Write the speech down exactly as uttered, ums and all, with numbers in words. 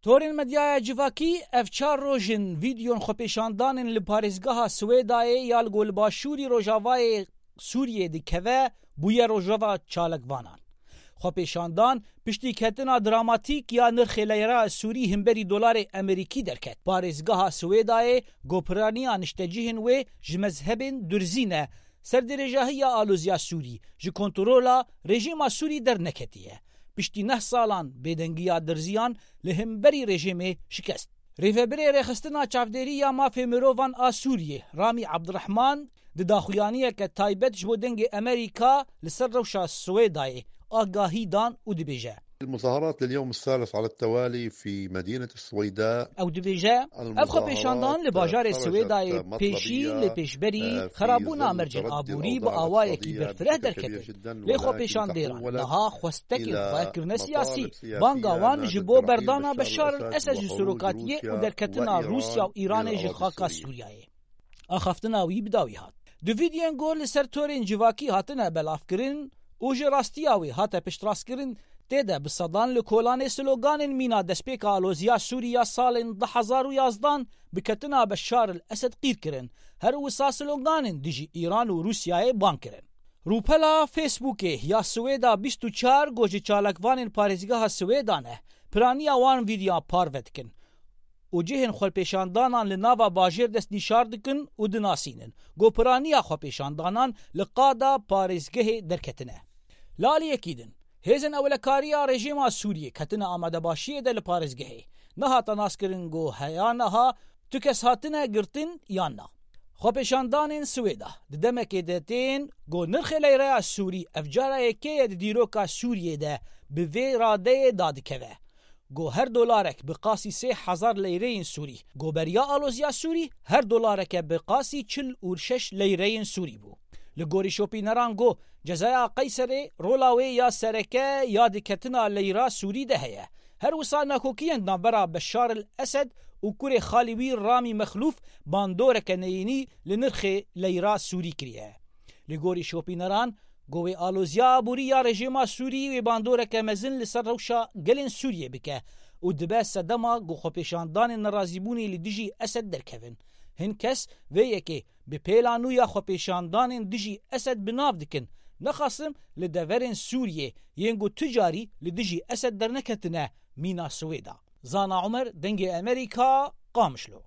Torên medyaya civakî ev çar roj in vîdyon xwepêşandanên li parêzgeha Swêdayê ya li ku li başûrî rojavayê Sûriyê dikeve bûye rojeva çalakvanan. Xwepêşandan piştî ketina dramatîk ya nirxê leyra Sûrî himberî dolarê Amerîkî derket. Parêzgeha Swêdayê ku piraniya niştecihên wê ji mezhebên durzî ne, ser dirêjahiya aloziya Sûrî ji kontrola rejîma Sûrî derneketiye. Piştî neh salan bêdengiya dirziyan li hemberî rejîmê şikest. Rêvebirê Rêxistina Çavdêrî ya Mafê Mirovan a Sûriyê, Ramî Abdurrahman, di daxuyaniyeke taybet ji bo Dengê Amerîka li ser rewşa Swêdayê agahî dan û dibêje, المظاهرات لليوم الثالث على التوالي في مدينة السويداء. Ew dibêje, ev xwepêşandan li bajarê Swêdayê pêşî lê pêşberî xerabûna mercên aborî bi awayekî berfireh derketin. Lê xwepêşandêran niha xwestekên xwe kirine siyasî. Banga wan ji bo berdana Beşar el Esed ji serokatiyê û derketina Rûsya û Îranê ji xaka Sûriyeyê. Axaftina wî bi dawî hat. Di vîdyoyên ku li ser torên civakî hatine belavkirin û ji rastiya wê hate piştrastkirin, tê de bi sedan li kolanê sloganên mîna destpêka aloziya Sûrî ya salên du hezar û yazdan bi ketina Beşar el Esed qîr kirin, her wisa sloganên dijî Îran û Rûsyayê bang kirin. Rûpela Facebookê ya Swêda bîst û çar ku ji çalakvanên parêzgeha Swêda ne, piraniya wan vîdyoyan parve dikin û cihên xwepêşandanan li nava bajêr destnîşar dikin û dinasînin ku piraniya xwepêşandanan li qada parêzgehê derketine. Li aliyekî din, hêzên ewlekariya rejîma Sûriyê ketine amadebaşiyê de li parêzgehê. Nehate naskirin ku heya niha tu kes hatine girtin yan na. Xwepêşandanên Swêda di demekê de tên ku nirxê leyreya Sûrî ev cara yekê ye di dîroka Sûriyê de bi vê radeyê dadikeve. Ku her dolarek bi qasî sê hezar leyreyên Sûrî, ku beriya aloziya Sûrî her dolareke bi qasî çil û şeş leyreyên Sûrî bû. Li gorî şopîneran ku cezaya Qeyserê rola wê ya sereke ya diketina leyra Sûrî de heye. Her wisa nakokiyên navbera Beşar el Esed û kurê xalî wî Ramî Mexlûf bandoreke neyînî li nirxê leyra Sûrî kiriye. Li gorî şopîneran, ku wê aloziya aborî ya rejîma Sûrî wê bandoreke mezin li ser rewşa gelên Sûriyê bike û dibe sedema ku xwepêşandanên nerazîbûnê li dijî Esed derkevin. Hin kes vê yekê bi pêla nû ya xwepêşandanên dijî Esed bi nav dikin. Nexasim li deverên Sûriyê yên ku tu carî li dijî Esed derneketine mîna Swêda. Zana Umer, Dengê Amerîka, Qamişlo.